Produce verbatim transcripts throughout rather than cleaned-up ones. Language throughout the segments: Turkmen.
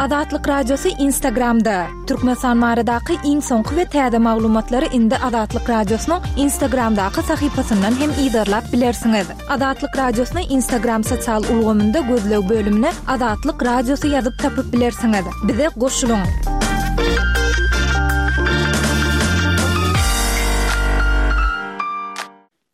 Azatlyk Radiosy Instagramda. Türkmenistan baradaky iň soňky we täze maglumatlary indi Azatlyk Radiosynyň Instagramdaky sahypasyndan hem yzarlap bilersiňiz. Azatlyk Radiosyny Instagram sosial ulgamynda gözleg bölümine Azatlyk Radiosy ýazyp tapyp bilersiňiz. Bize goşulyň.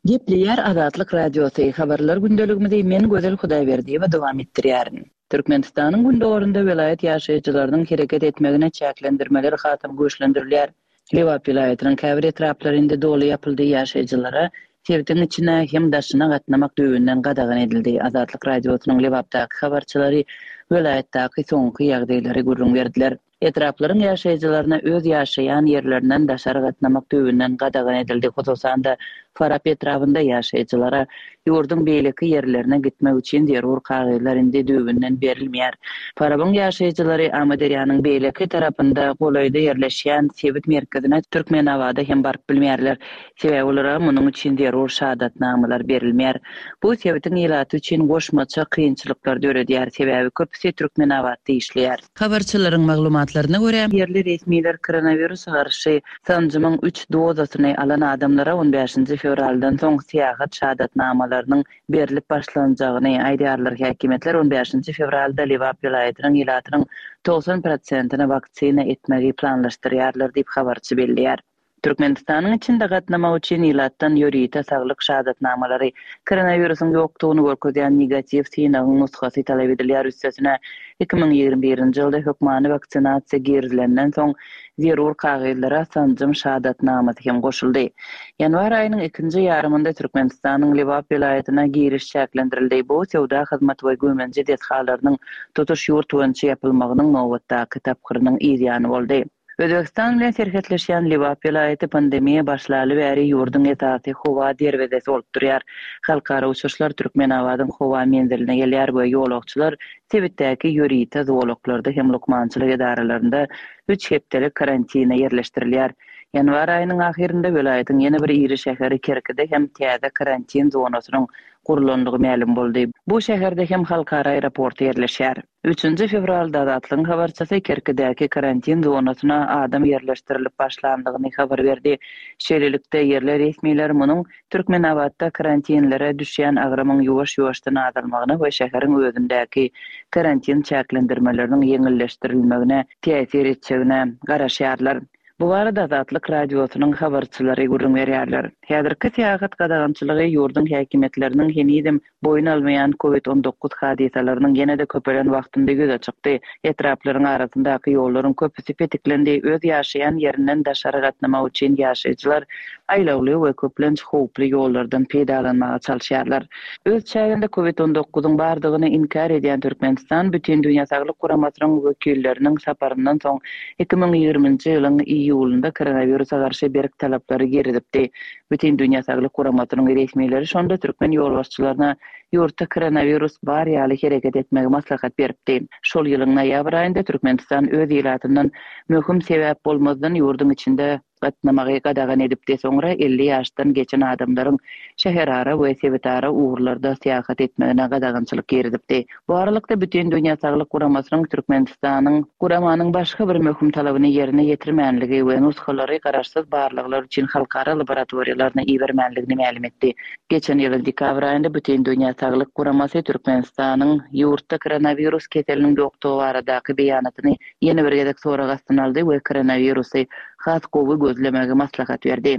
Gepleýär Azatlyk Radiosy, habarlar gündeligimizi men Gözel Hudaýberdiýewa dowam etdirýärin. Türkmenistanyň gündogarynda welaýat ýaşaýjylarynyň hereket etmegine çäklendirmeler hasam güýçlendirilýär. Lebap welaýatynyň käbir etraplary indi doly ýapyldy, ýaşaýjylara sebitiň içine hem daşyna gatnamak düýbünden gadagan edildi. Azatlyk Radiosynyň Lebapdaky habarçylary welaýatdaky soňky ýagdaýlary gürrüň berdiler. Etraplaryň ýaşaýjylaryna öz ýaşaýan ýerlerinden daşary gatnamak düýbünden gadagan edildi. Hususan-da, Farap etrabynda ýaşaýjylara ýurduň beýleki ýerlerine gitmek üçin zerur kagyzlar indi düýbünden berilmeýär. Farabyň ýaşaýjylary Amyderýanyň beýleki tarapynda golaýda ýerleşýän sebit merkezine Türkmenabada hem baryp bilmeýärler. Sebäbi olara munuň üçin zerur şahadatnamalar berilmeýär. Bu sebitiň ilaty üçin goşmaça kynçylyklar döredýär, sebäbi köpüsi Türkmenabatda işleýär. Habarçylaryň maglumatlaryna görä, ýerli resmiler koronawirusa garşy sanjymyň üç dozasyny alan adamlara on bäşinji fewraldan soň syýahat şahadatnamalarynyň berlip başlanjagyny aýdýarlar. Häkimiýetler on bäşinji fewralda Lebap welaýatynyň ilatynyň togsan prosentini waksina etmegi planlaşdyrýarlar diýip, habarçy belleýär. Türkmenistanyň içinde gatnamak üçin ilatdan ýörite saglyk şahadatnamalary, koronawirusyň ýokdugyny görkezýän negatiw synagyň nusgasy talap edilýär. Üstesine, iki müň ýigrimi birinji ýylda hökmany waksinasiýa girizilenden soň zerur kagyzlara sanjym şahadatnamasy hem goşuldy. Ýanwar aýynyň ikinji ýarymynda Türkmenistanyň Lebap welaýatyna giriş çäklendirildi. Bu söwda hyzmat we güýmenje desgalarynyň tutuş ýurt boýunça ýapylmagynyň nobatdaky tapgyrynyň yzýany boldy. Özbegistan bilen serhetleşýän Lebap welaýaty pandemiýa başlaly bäri ýurduň esasy howa derwezesi bolup durýar. Halkara uçuşlar Türkmenabadyň howa menziline gelýär we ýolagçylar sebitdäki ýörite zolaklarda hem lukmançylyk edaralarynda üç hepdelik karantine ýerleşdirilýär. Ýanwar aýynyň ahyrynda welaýatyň ýene bir iri şäheri Kerkide hem täze karantin zonasynyň gurlandygy mälim boldy. Bu şäherde hem halkara aeroporty ýerleşýär. Üçünji fewralda Azatlygyň habarçysy Kerkidäki karantin zonasyna adam ýerleşdirilip başlandygyny habar berdi. Şeýlelikde, ýerli resmiler munuň Türkmenabatda karantinlere düşýän agramyň ýuwaş-ýuwaşdan azalmagyna we şäheriň özündäki karantin çäklendirmeleriniň ýeňilleşdirilmegine täsir etjegine garaşýarlar. Bu barada Azatlyk Radiosynyň habarçylary gürrüň berýärler. Häzirki syýahat gadagançylygy ýurduň häkimiýetleriniň henizem boýun almaýan Covid on dokuz hadysalarynyň ýene-de köpelen wagtynda ýüze çykdy. Etraplaryň arasyndaky ýollaryň köpüsi petiklendi. Öz ýaşaýan ýerinden daşary gatnamak üçin ýaşaýjylar aýlawly we köplenç howply ýollardan peýdalanmaga çalyşýarlar. Öz çäginde Covid on dokuzyň bardygyny inkär edýän Türkmenistan Bütindünýä Saglyk Guramasynyň wekilleriniň saparyndan soň iki müň ýigriminji ýylyň iýulynda koronawirusa garşy berk talaplary girizipdi. Bütindünýä Saglyk Guramasynyň resmileri şonda türkmen ýolbaşçylaryna ýurtda koronawirus bar ýaly hereket etmegi maslahat beripdi. Şol ýylyň noýabr aýynda Türkmenistan öz ilatyndan möhüm sebäp bolmazdan ýurduň içinde gatnamagy gadagan edipdi. Soňra elli ýaşdan geçen adamlaryň şäherara we sebitara ugurlarda syýahat etmegine gadagançylyk girizipdi. Bu aralykda Bütindünýä Saglyk Guramasynyň Türkmenistanyň guramanyň başga bir möhüm talabyny ýerine ýetirmänligi we nusgalary garaşsyz barlaglar üçin halkara laboratoriýalaryna ibermänligini mälim etdi. Geçen ýylyň dekabr aýynda Bütindünýä Saglyk Guramasy Türkmenistanyň ýurtda koronawirus keseliniň ýokdugy baradaky beýanatyny ýene bir gezek sorag astyna aldy we koronawirusy has gowy gözlemegi maslahat berdi.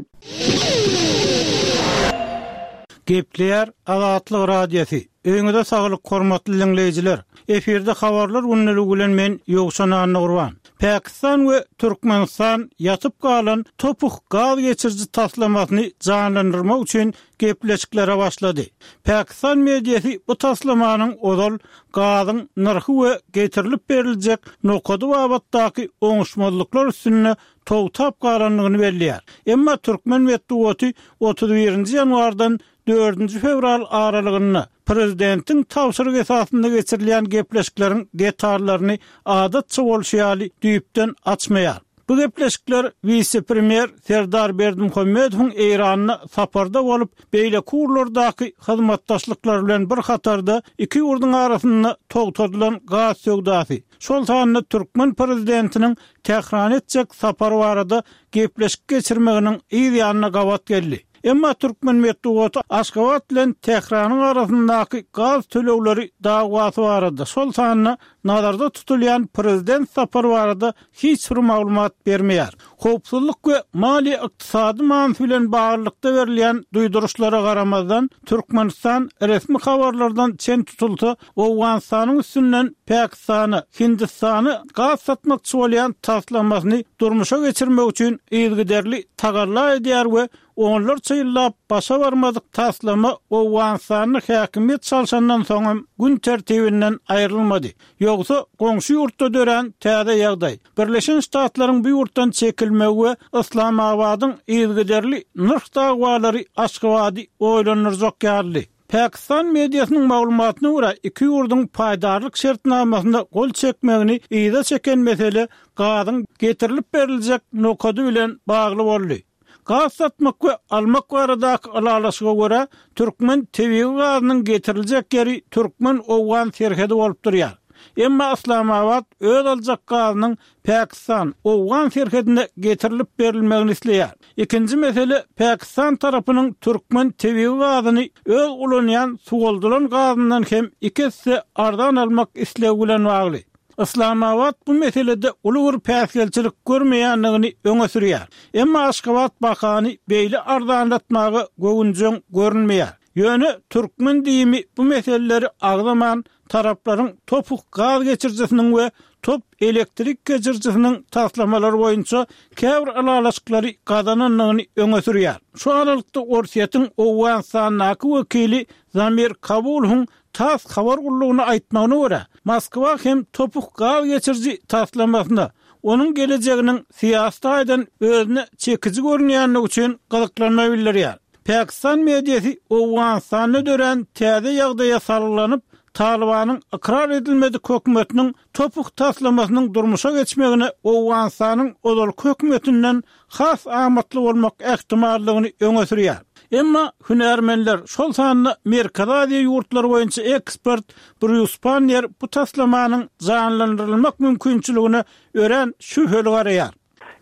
Gepleýär Azatlyk Radiosy. Öýüňize saglyk, hormatly dinleýjiler. Efirde habarlar günlügi bilen men Ýowşan Annagurban. Pakistan we Türkmenistan ýatyp galan Topuh gaz geçiriji taslamasyny janlandyrmak üçin gepleşiklere başlady. Pakistan mediasy bu taslamanyň ozal gazyň nyrhy we getirilip beriljek nokady babatdaky oňuşmazlyklar üstünde togtap galandygyny belleýär. Emma türkmen metbugaty otuz birinji ýanwardan dördünji fewral aralygynda prezidentiň tabşyryk esasynda geçirilýän gepleşikleriň detallaryny adatça bolşy ýaly düýpden açmaýar. Bu gepleşikler wise-premýer Serdar Berdimuhamedowyň Eýranda saparda bolup, beýleki ugurlardaky hyzmatdaşlyklar bilen bir hatarda iki ýurduň arasynda togtadylan gaz söwdasy, şol sanda türkmen prezidentiniň Tährana etjek sapary barada gepleşik geçirmeginiň yz ýanyna gabat geldi. Emma türkmen metbugaty Aşgabat bilen Tähranyň arasyndaky gaz tölegleri dawasy barada, şol sanda nazarda tutulýan prezident sapary barada hiç bir maglumat bermeýär. Howpsuzlyk we maliýe-ykdysady manysy bilen baglylykda berilýän duýduryşlara garamazdan, Türkmenistan resmi habarlardan çen tutulsa, Owganystanyň üstünden Pakistana, Hindistana gaz satmakçy bolýan taslamasyny durmuşa geçirmek üçin yzygiderli tagalla edýär we onlarça ýyllap başa barmadyk taslama Owganystanda häkimiýet çalşandan soňam gün tertibinden aýrylmady. Ýogsa goňşy ýurtda dörän täze ýagdaý, Birleşen Ştatlaryň bu ýurtdan çekilmegi we Yslamabadyň yzygiderli nyrh dawalary Aşgabady oýlandyrjak ýalydy. Pakistan mediasynyň maglumatyna görä, iki ýurduň paýdarlyk şertnamasyna gol çekmegini yza çeken mesele gazyň getirilip beriljek nokady bilen bagly boldy. Gaz satmak we almak baradaky ylalaşyga görä, türkmen tebigy gazynyň getiriljek ýeri türkmen-owgan serhedi bolup durýar. Emma Yslamabat öz aljak gazynyň Pakistan, owgan serhedine getirilip berilmegini isleýär. Ikinji mesele Pakistan tarapynyň türkmen tebigy gazyny öz ulanýan suwaldylan gazyndan hem iki esse arzan almak islegi bilen bagly. Yslamabat bu meselede uly bir päsgelçilik görmeýändigini öňe sürýär. Emma Aşgabat bahany beýle arzanlatmaga göwünjeň görünmeýär. Ýöne türkmen diýimi bu meseleleri agzaman taraplaryň topuk gaz geçirijisiniň we top elektrik geçirijisiniň taslamalary boýunça käbir ylalaşyklary gazanandygyny öňe sürýär. Şu aralykda Orsýetiň Owganystandaky wekili Zamir Kabulowyň TASS habar gullugyna aýtmagyna görä, Moskwa hem topuk gaz geçiriji taslamasyna onuň gelejeginiň syýasy taýdan özüne çekiji görünýändigi üçin gyzyklanma bildirýär. Pakistan mediasy Owganystanda dörän täze ýagdaýa salgylanyp, Talybanyň ykrar edilmedik hökümetiniň topuk taslamasynyň durmuşa geçmegine Owganystanyň ozalky hökümetinden has amatly bolmak ähtimallygyny öňe sürýär. Emma hünärmenler, şol sanda Merkezi Aziýa ýurtlary boýunça ekspert Brýus Pannier bu taslamanyň janlandyrylmak mümkinçiligine örän şübheli garaýar.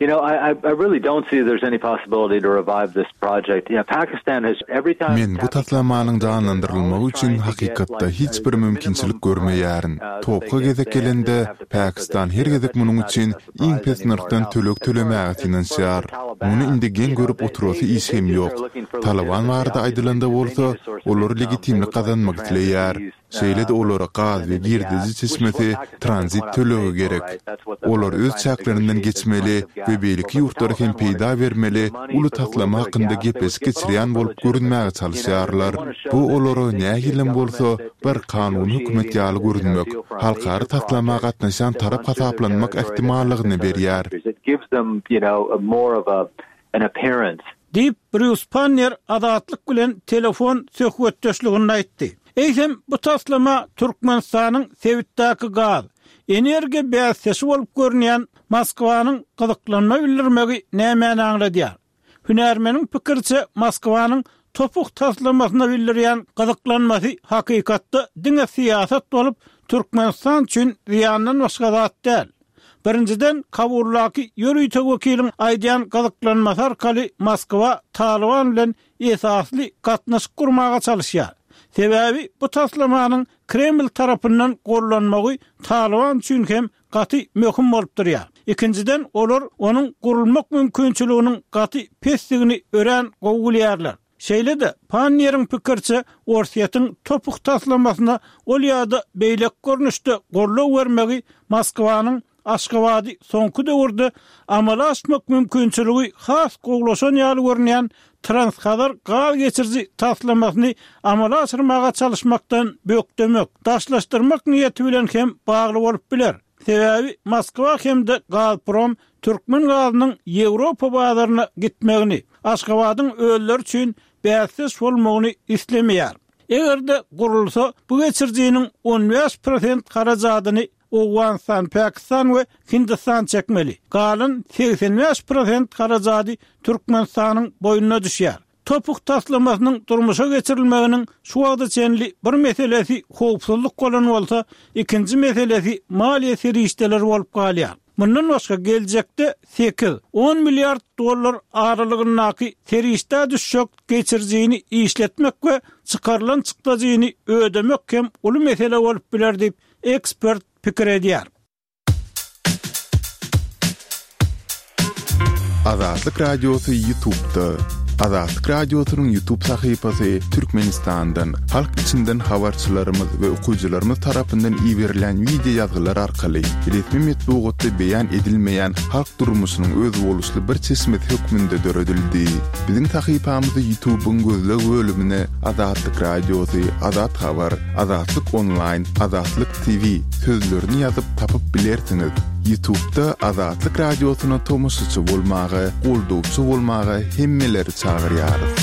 You know, I, I, I really don't see there's any possibility to revive this project. You know, Pakistan has every time Men bu taslamanyň janlandyrylmagy üçin hakykatda hiç bir mümkinçilik görmeýärin. Topga gezek gelende, Pakistan her gezek munuň üçin iň pes nyrhdan töleg tölemäge synanyşýar. Muny indi geň görüp oturasy iş hem ýok. Taliban barada aýdylanda bolsa, olar legitimlik gazanmak isleýär. Şeýle-de olara gaz we girdeji çeşmesi tranzit tölegi gerek. Olar öz çäklerinden geçmeli we beýleki ýurtlara hem peýda bermeli uly taslama hakynda gepleşik geçirýän bolup görünmäge çalyşýarlar. Bu olara nähilem bolsa bir kanuny hökümet ýaly görünmek, halkara taslama gatnaşýan tarap hasaplanmak ähtimallygyny berýär. Diýip, Brýus Pannier Azatlyk bilen telefon söhbetdeşliginde aýtdy. Eýsem, bu taslama Türkmenistanyň sebitdäki gaz, energiýa bäsdeşi bolup görünýän Moskwanyň gyzyklanma bildirmegi nämäni aňladýar? Hünärmeniň pikiriçe, Moskwanyň topuk taslamasyna bildirýän gyzyklanmasy hakykatda diňe syýasat bolup, Türkmenistan üçin zyýandan başga zat däl. Birinjiden, Kabuldaky ýörite wekiliň aýdýan gyzyklanmasy arkaly Moskwa Talyban bilen esasly gatnaşyk gurmaga çalyşýar. Sebäbi bu taslamanyň Kreml tarapyndan gollanmagy Talyban üçin hem gaty möhüm bolup durýar. Ikinjiden, olar onuň gurulmak mümkinçiliginiň gaty pesdigini örän gowy bilýärler. Şeýle-de, Pannieriň pikiriçe, Orsýetiň topuk taslamasyna ol ýa-da beýleki görnüşde goldaw bermegi Moskwanyň Aşgabady soňky döwürde amala aşmak mümkinçiligi has gowulaşan ýaly görünýän Transhazar gaz geçiriji taslamasyny amala aşyrmaga çalyşmakdan bökdemek, daşlaşdyrmak niýeti bilen hem bagly bolup biler. Sebäbi Moskwa hem-de Gazprom türkmen gazynyň Ýewropa bazaryna gitmegini, Aşgabadyň özleri üçin bäsdeş bolmagyny islemeýär. Eger-de gurulsa, bu geçirijiniň on bäş prosent harajadyny Owganystan, Pakistan we Hindistan çekmeli. Galan segsen bäş prosent harajady Türkmenistanyň boýnuna düşýär. Topuk taslamasynyň durmuşa geçirilmeginiň şu wagta çenli bir meselesi howpsuzlyk bolan bolsa, ikinji meselesi maliýe serişdeleri bolup galýar. Mundan başga geljekde sekiz, on milliard dollar aralygyndaky serişde düşjek geçirijini işletmek we çykarylan çykdajyny ödemek hem uly mesele bolup biler diýip ekspert pikir edýär. Azatlyk Radiosy YouTube'da. Azatlyk Radiosynyň YouTube sahypasy Türkmenistandan, halk içinden habarçylarymyz we okyjylarymyz tarapyndan iberilen video ýazgylar arkaly resmi metbugatda beýan edilmeýän halk durmuşynyň özboluşly bir çeşmesi hökmünde döredildi. Biziň sahypamyzy YouTube'yň gözleg bölümine Azatlyk Radiosy, Azat Habar, Azatlyk Online, Azatlyk T V sözlerini ýazyp tapyp bilersiňiz. YouTube'da Azatlyk Radiosyna tomaşaçy bolmaga, goldawçy bolmaga hemmeleri çagyrýarys.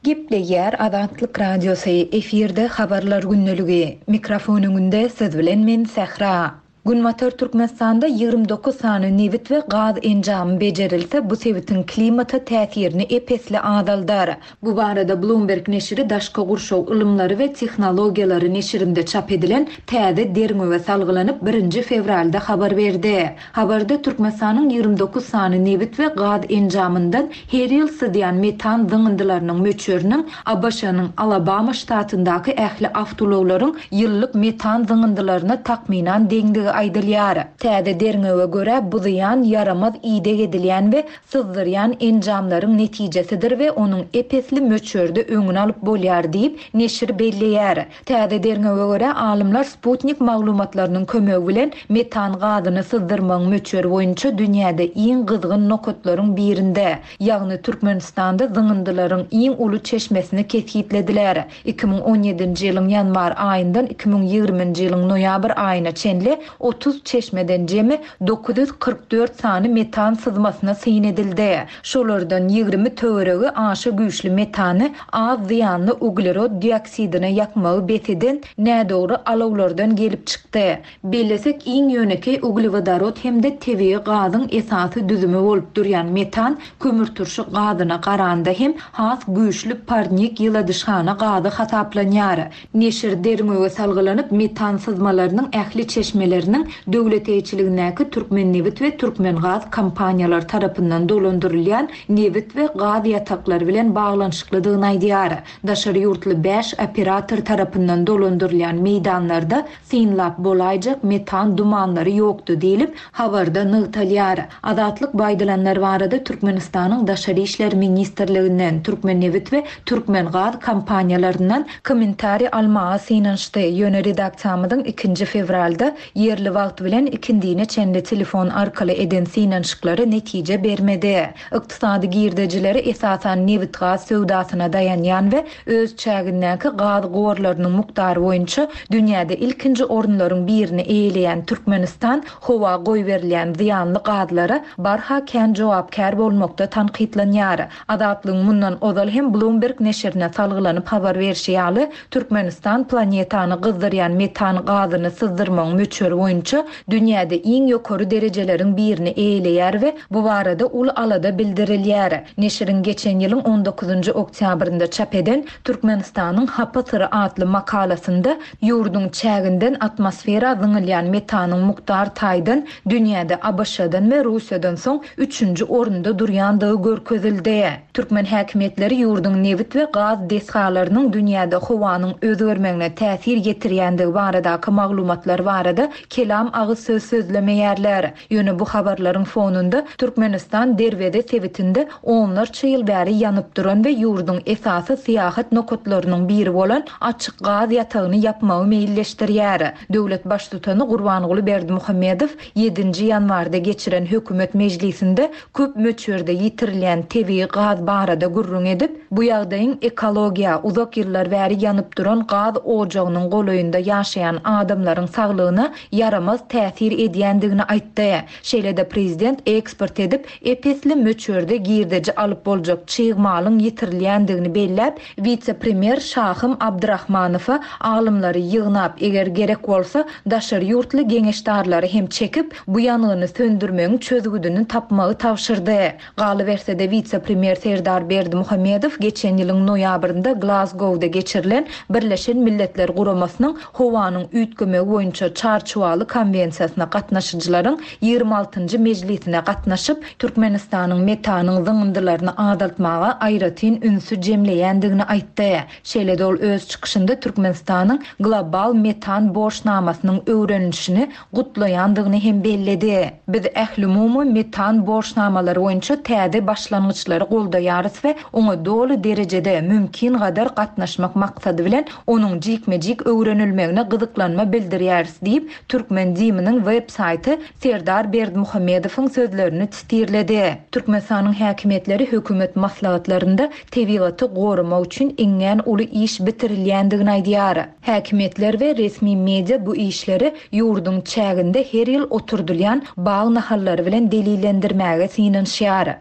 Gepleýär Azatlyk Radiosy, efirde habarlar gündeligi. Mikrofon öňünde siz bilen men Sähra. Günbatar Türkmenistanda ýigrimi dokuz sany nebit we gaz enjamy bejerilse, bu sebitiň klimata täsirini epesli azaldar. Bu barada Bloomberg neşiri daşky gurşaw ylymlary we tehnologiýalary neşirinde çap edilen täze derňewe salgylanyp birinji fewralda habar berdi. Habarda Türkmenistanyň ýigrimi dokuz sany nebit we gaz enjamyndan her ýyl syzýan metan zyňyndylarynyň möçberiniň A B Ş-nyň Alabama ştatyndaky ähli awtoulaglaryň ýyllyk metan zyňyndylaryna takmynan deňdigi aýdylýar. Täze derňewe görä bu zyýan ýaramaz ideg edilýän we syzdyrýan enjamlaryň netijesidir we onuň epesli möçberde öňüni alyp bolýar diýip neşir belleýär. Täze derňewe görä alymlar Sputnik maglumatlarynyň kömegi bilen metan gazyny syzdyrmagyň möçberi boýunça dünýäde iň gyzgyn nokatlaryň birinde, ýagny Türkmenistanda zyňyndylaryň iň uly çeşmesini kesgitlediler. iki müň on ýedinji ýylyň ýanwar aýyndan iki müň ýigriminji ýylyň noýabr aýyna çenli otuz çeşmeden jemi dokuz ýüz kyrk dört sany metan syzmasyna syn edildi. Şolardan ýigrimi töweregi aşa güýçli metany az zyýanly uglerod dioksidine ýakmagy bes eden nädogry alawlardan gelip çykdy. Bellesek iň ýönekeý uglewodorod hem-de tebigy gazyň esasy düzümi bolup durýan metan kömürturşy gazyna garanda hem has güýçli parnik ýyladyşhana gazy hasaplanýar. Neşir derňewe salgylanyp metan syzmalarynyň ähli çeşmeleriniň döwlet eýeçiligindäki Türkmen nebit we Türkmen gaz kompaniýalary tarapyndan dolandyrylýan nebit we gaz ýataklary bilen baglanyşyklydygyny aýdýar. Daşary ýurtly bäş operator tarapyndan dolandyrylýan meýdanlarda synlap bolaýjak metan dumanlary ýokdy diýlip habarda nygtalýar. Azatlyk baýdylanlar barada Türkmenistanyň Daşary işler ministrliginden, Türkmen nebit we Türkmen gaz kompaniýalaryndan kommentariý almaga synanyşdy. Ýöne redaksiýamyzyň ikinji fewralda ýerli wagt bilen ikindine çenli telefon arkaly eden synanyşyklary netije bermedi. Ykdysady girdejileri esasan nebit gaz söwdasyna daýanýan we öz çägindäki gaz gorlarynyň mukdary boýunça dünýäde ilkinji orunlaryň birini eýeleýän Türkmenistan howa goýberilýän zyýanly gazlara barha kän jogapkär bolmakda tankytlanýar. Azatlygyň mundan ozal hem Bloomberg neşirine salgylanyp habar berşi ýaly, Türkmenistan planetany gyzdyrýan metan gazyny syzdyrmagyň möçberi boýunça dünýäde iň ýokary derejeleriň birini eýeleýär we bu barada uly alada bildirilýär. Neşiriň geçen ýylyň on dokuzynjy oktýabrynda çap eden Türkmenistanyň Hapa syry atly makalasynda ýurduň çäginden atmosfera zyňylýan metanyň mukdar taýdan dünýäde A B Ş-dan we Russiýadan soň üçünji orunda durýandygy görkezildi. Türkmen häkimiýetleri ýurduň nebit we gaz desgalarynyň dünýäde howanyň özgermegine täsir ýetirýändigi baradaky maglumatlar barada kelam agyz söz sözlemeýärler. Ýöne bu habarlaryň fonunda Türkmenistan Derweze sebitinde onlarça ýyl bäri ýanyp duran we ýurduň esasy syýahat nokatlarynyň biri bolan açyk gaz ýatagyny ýapmagy meýilleşdirýär. Döwlet baştutany Gurbanguly Berdimuhamedow ýedinji ýanwarda geçiren hökümet mejlisinde köp möçberde ýitirilýän tebigy gaz barada gürrüň edip, bu ýagdaýyň ekologiýa uzak ýyllar bäri ýanyp duran gaz ojagynyň golaýynda ýaşaýan adamlaryň saglygyna ýaramaz täsir edýändigini aýtdy. Şeýle-de prezident eksport edip, ep-esli möçberde girdeji alyp boljak çig malyň ýitirilýändigini belläp, wise-premýer Şahym Abdurahmanowa alymlary ýygnap, eger gerek bolsa, daşary ýurtly geňeşdarlary hem çekip, bu ýangyny söndürmegiň çözgüdini tapmagy tabşyrdy. Galyberse-de wise-premýer Serdar Berdimuhamedow geçen ýylyň noýabrynda Glasgowda geçirilen Birleşen Milletler Guramasynyň howanyň üýtgemegi boýunça çarçuwaly konwensiýasyna gatnaşyjylaryň ýigrimi altynjy mejlisine gatnaşyp, Türkmenistanyň metanyň zyňyndylaryny azaltmaga aýratyn ünsi jemleýändigini aýtdy. Şeýle-de ol öz çykyşynda Türkmenistanyň global metan borçnamasynyň öwrenilişini gutlaýandygyny hem belledi. Biz ählumumy metan borçnamalary boýunça täze başlangyçlary goldaýarys we oňa doly derejede mümkin gadar gatnaşmak maksady bilen onuň jikme-jik öwrenilmegine gyzyklanma bildirýäris diýip, Türkmen DIM-niň web saýty Serdar Berdimuhamedowyň sözlerini titirledi. Türkmenistanyň häkimiýetleri hökümet maslahatlarynda tebigaty goramak üçin iňňän uly iş bitirilýändigini aýdýar. Häkimiýetler we resmi media bu işleri ýurduň çäginde her ýyl oturdylýan bag nahallary bilen delillendirmäge synanyşýar.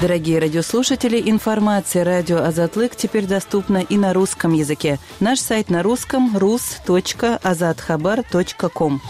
Дорогие радиослушатели, информация радио Азатлык теперь доступна и на русском языке. Наш сайт на русском rus точка azathabar точка ком.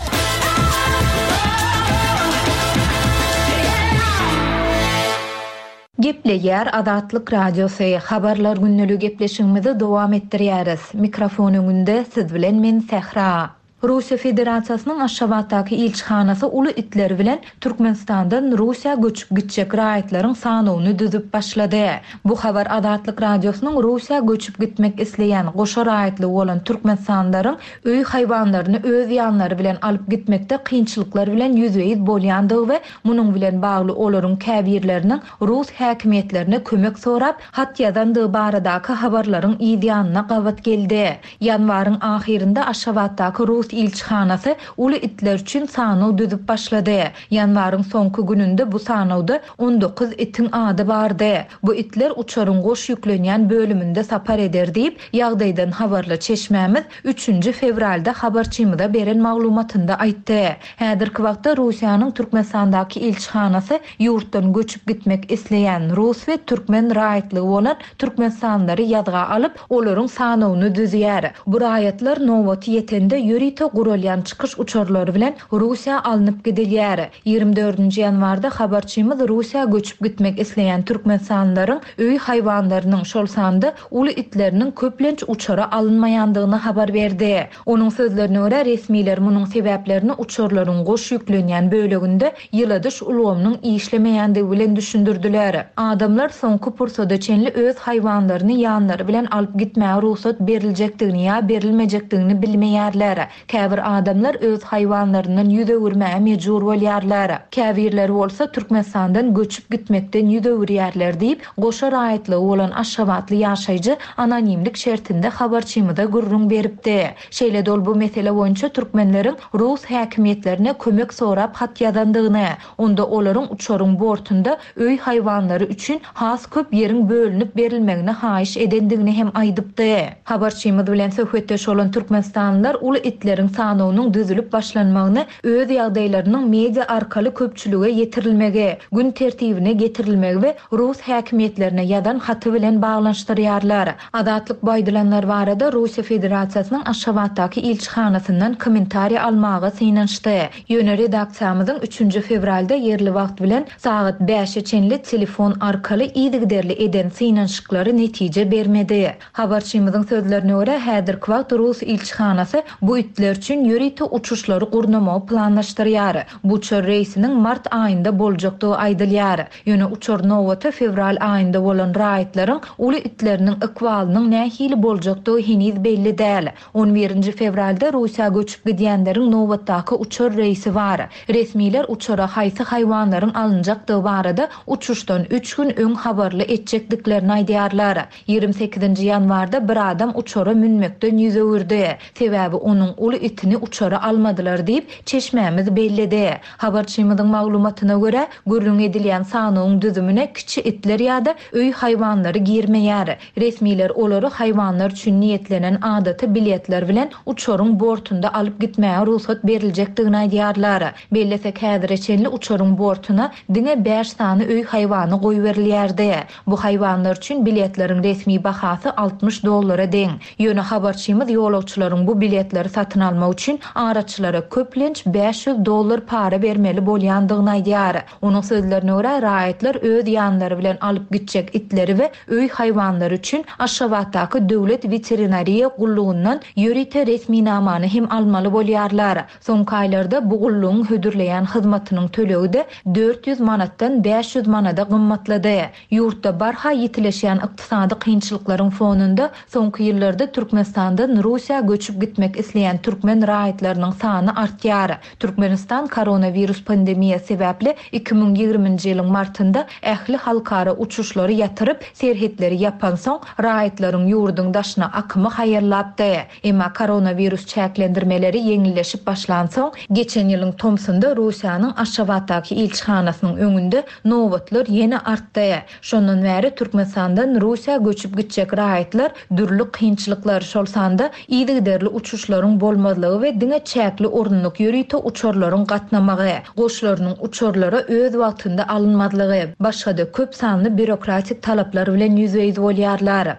Gepleýär Azatlyk Radiosy. Habarlar günlügi gepleşigimizi dowam etdirýäris. Mikrofon öňünde siz bilen men Sähra. Russiýa Federasiýasynyň Aşgabatdaky ilçihanasy uly itleri bilen Türkmenistandan Russiýa göçüp gitjek raýatlaryň sanyny düzüp başlady. Bu habar Azatlyk Radiosynyň Russiýa göçüp gitmek isleýän goşa raýatly bolan Türkmenistanlaryň öý haýwanlaryny öz ýanlary bilen alyp gitmekde kynçylyklar bilen ýüzbe-ýüz bolýandygy we munuň bilen bagly olaryň käbirleriniň Rus häkimiýetlerine kömek sorap hat ýazandygy baradaky habarlaryň ýanyna gabat geldi. Ýanwaryň ahyrynda Aşgabatdaky Rus ilçihanasy uly itler üçin sanaw düzüp başlady. Ýanwaryň soňky gününde bu sanawda on dokuz itiň ady bardy. Bu itler uçaryň goş ýüklenýän bölüminde sapar eder diýip, ýagdaýdan habarly çeşmämiz üçünji fewralda habarçymyza beren maglumatynda aýtdy. Häzirki wagtda Russiýanyň Türkmenistandaky ilçihanasy ýurtdan göçüp gitmek isleýän rus we türkmen raýatlygy bolan türkmenistanlylary ýazga alyp, olaryň sanawyny düzýär. Bu raýatlar nobaty ýetende ýörite guralýan çykyş uçarlary bilen Russiýa alnyp gidilýär. Ýigrimi dördünji ýanwarda habarçymyz Russiýa göçüp gitmek isleýän türkmenistanlylaryň öý haýwanlarynyň şol sanda uly itleriniň köplenç uçara alynmaýandygyny habar berdi. Onuň sözlerine görä resmiler munuň sebäplerini uçarlaryň goş ýüklenýän böleginde ýyladyş ulgamynyň işlemeýändigi bilen düşündirdiler. Adamlar soňky pursada çenli öz haýwanlaryny ýanlary bilen alyp gitmäge rugsat beriljekdigini ýa berilmejekdigini bilmeýärler. Käbir adamlar öz haýwanlaryndan ýüz öwürmäge mejbur bolýarlar. Käbirleri bolsa Türkmenistandan göçüp gitmekden ýüz öwürýärler diýip, goşa raýatlygy bolan Aşgabatly ýaşaýjy anonimlik şertinde habarçymyza gürrüň beripdi. Şeýle-de ol bu mesele boýunça türkmenleriň rus häkimiýetlerine kömek sorap hat ýazandygyny, onda olaryň uçaryň bortunda öý haýwanlary üçin has köp ýeriň bölünip berilmegini haýyş edendigini hem aýdypdy. Habarçymyz bilen söhbetdeş bolan türkmenistanlylar uly itleriň sanawynyň düzülip başlanmagyny öz ýagdaýlarynyň media arkaly köpçülige ýetirilmegi, gün tertibine getirilmegi we rus häkimiýetlerine ýazan haty bilen baglanyşdyrýarlar. Azatlyk bu aýdylanlar barada Russiýa Federasiýasynyň Aşgabatdaky ilçihanasyndan kommentariý almaga synanyşdy. Ýöne redaksiýamyzyň üçünji fewralda ýerli wagt bilen sagat bäşe çenli telefon arkaly yzygiderli eden synanyşyklary netije bermedi. Habarçymyzyň sözlerine görä häzirki wagt Rus ilçihanasy bu itler üçin ýörite uçuşlary gurnamagy planlaşdyrýar. Bu uçar reýsiniň mart aýynda boljakdygy aýdylýar. Ýöne uçar nobaty fewral aýynda bolan raýatlaryň uly itleriniň ykbalynyň nähili boljakdygy heniz belli däl. On birinji fewralda Russiýa göçüp gidýänleriň nobatdaky uçar reýsi bar. Resmiler uçara haýsy haýwanlaryň alynjakdygy barada uçuşdan üç gün öň habarly etjekdiklerini aýdýarlar. Ýigrimi sekizinji ýanwarda bir adam uçara münmekden ýüz öwürdi. Sebäbi onuň uly itini uçara almadylar diýip, çeşmämiz belledi. Habarçymyzyň maglumatyna görä, gürrüň edilýän sanawyň düzümine kiçi itler ýa-da öý haýwanlary girmeýär. Resmiler olary haýwanlar üçin niýetlenen adaty biletler bilen uçaryň bortunda alyp gitmäge rugsat beriljekdigini aýdýarlar. Bellesek häzire çenli uçaryň bortuna diňe bäş sany öý haýwany goýberilýärdi. Bu haýwanlar üçin biletleriň resmi bahasy altmyş dollara deň. Ýöne habarçymyz ýolagçylaryň bu biletleri satyn almak üçin araçylara köplenç bäş ýüz dollar para bermeli bolýandygyny aýdýar. Onuň sözlerine görä, raýatlar öz ýanlary bilen alyp gitjek itleri we öý haýwanlary üçin Aşgabatdaky döwlet veterinariýa gullugyndan ýörite resminamany hem almaly bolýarlar. Soňky aýlarda bu gullugyň hödürleýän hyzmatynyň tölegi de dört ýüz manatdan bäş ýüz manada gymmatlady. Ýurtda barha ýitileşýän ykdysady kynçylyklaryň fonunda soňky ýyllarda Türkmenistandan Russiýa göçüp gitmek isleýän türkmen raýatlarynyň sany artýar. Türkmenistan koronawirus pandemiýasy sebäpli iki müň ýigriminji ýylyň martynda ähli halkara uçuşlary ýatyryp, serhetleri ýapansoň raýatlaryň ýurduň daşyna akymy haýallapdy. Emma koronawirus çäklendirmeleri ýeňilleşip başlansoň, geçen ýylyň tomsunda Russiýanyň Aşgabatdaky ilçihanasynyň öňünde nobatlar ýene artdy. Şondan bäri Türkmenistandan Russiýa göçüp gitjek raýatlar dürli kynçylyklar, şol sanda yzygiderli uçuşlaryň bolmazlygy we diňe çäkli orunlyk ýörite uçarlaryň gatnamagy, goşlarynyň uçarlara öz wagtynda alynmazlygy, başga-da köp sanly bürokratik talaplar bilen ýüzbe-ýüz bolýarlar.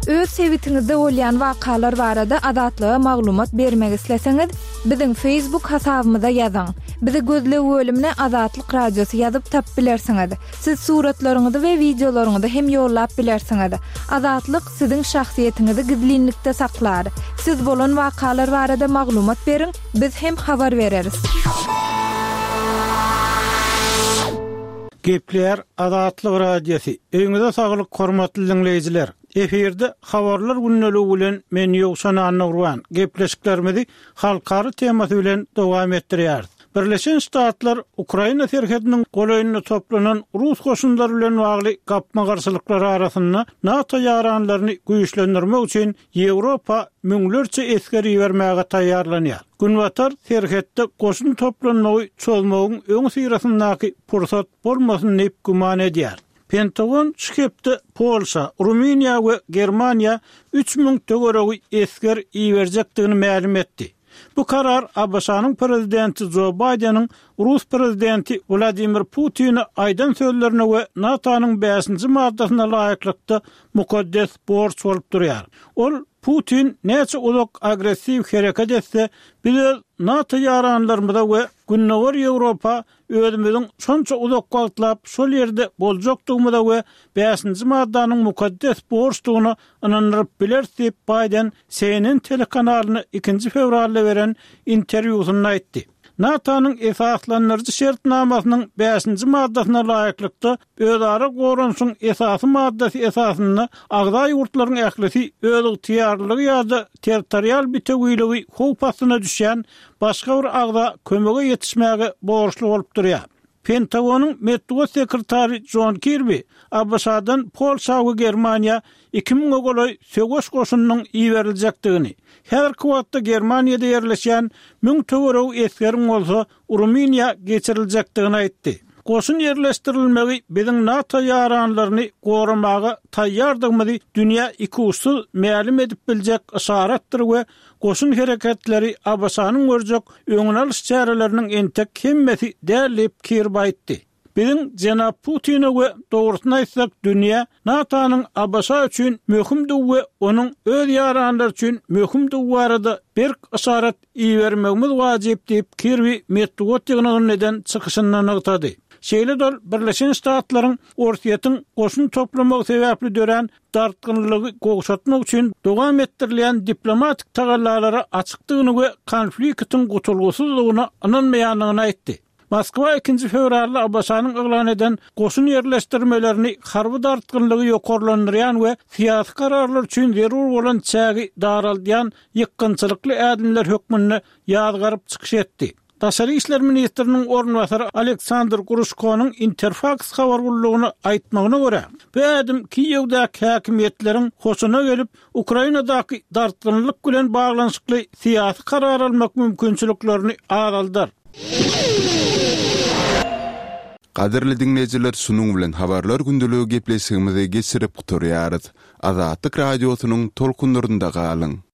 Öz sebitiňizde bolýan wakalar barada Azatlyga maglumat bermek isleseňiz, biziň Facebook hasabymyza ýazyň. Bizi gözleg bölümine Azatlyk Radiosy ýazyp tap bilersiňiz. Siz suratlaryňyzy we wideolaryňyzy hem ýollap bilersiňiz. Azatlyk siziň şahsyýetiňizi gizlinlikde saklar. Siz bolan wakalar barada maglumat beriň, biz hem habar bereris. Gepler Azatlyk Radiosy. Öýüňize saglyk hormatly dinleýjiler. Efirde habarlar gündeligi bilen men Ýowşan Annagurban gepleşiklerimizi halkara temasy bilen dowam etdirýäris. Birleşen Ştatlar Ukraina serhediniň golaýynda toplanan Rus goşunlary bilen bagly gapma-garşylyklar arasynda NATO ýaranlaryny güýçlendirmek üçin Ýewropa müňlerçe esger ibermäge taýýarlanýar. Günbatar serhetde goşun toplanmagy çözmegiň öň syrasyndaky pursat bolmasyn diýip güman edýär. Pentagon şu hepde Polşa, Rumyniýa we Germaniýa üç müň töweregi esger iberjekdigini mälim etdi. Bu karar A B Ş-nyň prezidenti Joe Biden'iň Rus prezidenti Vladimir Putin'e aýdan sözlerine we NATO-nyň bäşinji maddasyna laýyklykda mukaddes borç bolup durýar. Ol Putin näçe uzak agressiw hereket etse, biz öz NATO ýaranlarymyza we Gündogar Ýewropa özümiziň şonça uzak wagtlap şol ýerde boljakdygymyza we bäşinji maddanyň mukaddes borçdugyna ynandyryp bileris diýip Biden C N N telekanalyna ikinji fewralda beren interwýusynda aýtdy. NATO-nyň esaslandyryjy şertnamasynyň bäşinji maddasyna laýyklykda özara goranyşyň esasy maddasy esasynda agza ýurtlaryň ählisi öz ygtyýarlygy ýa-da territorial bitewiligi howp astyna düşýän başga bir agza kömege ýetişmäge borçly bolup durýar. Pentagonyň metbugat sekretary John Kirby A B Ş-dan Polşa we Germaniýa iki müňe golaý söweş goşunynyň iberiljekdigini, häzirki wagtda Germaniýada ýerleşýän müň töweregi esgeriň bolsa Rumyniýa geçiriljekdigini aýtdy. Goşun ýerleşdirilmegi biziň NATO ýaranlaryny goramaga taýýardygymyzy dünýä ikuçsuz mälim edip biljek yşaratdyr we goşun hereketleri A B Ş-nyň görjek öňüni alyş çäreleriniň entek hemmesi däl diýip Kirby aýtdy. Biziň Jenap Putine we dogrusyny aýtsak dünýä NATO-nyň A B Ş üçin möhümdigi we onuň öz ýaranlary üçin möhümdigi barada berk yşarat ibermegimiz wajyp diýip Kirby metbugat ýygnagynda eden çykyşynda nygtady. Şeýle dol Birleşen Ştatlaryň Orsýetiň goşun toplamagy sebäpli dörän dartgynlygy gowşatmak üçin dowam etdirilýän diplomatik tagallalara açykdygyny we konfliktiň gutulgysyzlygyna ynanmaýandygyny aýtdy. Moskwa ikinji fewralda A B Ş-nyň yglan eden goşun ýerleşdirmelerini harby dartgynlygy ýokarlandyrýan we syýasy kararlar üçin zerur bolan çägi daraldýan ýykgynçylykly ädimler hökmünde ýazgaryp çykyş etdi. Daşary işler ministriniň orunbasary Aleksandr Gruşkonyň Interfaks habar gullugyna aýtmagyna görä, bu ädim Kiýewdäki häkimiýetleriň hoşuna gelip, Ukrainadaky dartgynlyk bilen baglanyşykly syýasy karar almak mümkinçiliklerini azaldar. Gadyrly diňleýjiler, şunuň bilen habarlar gündeligi gepleşigimizi geçirip gutarýarys. Azatlyk radiosynyň tolkunlarynda galyň.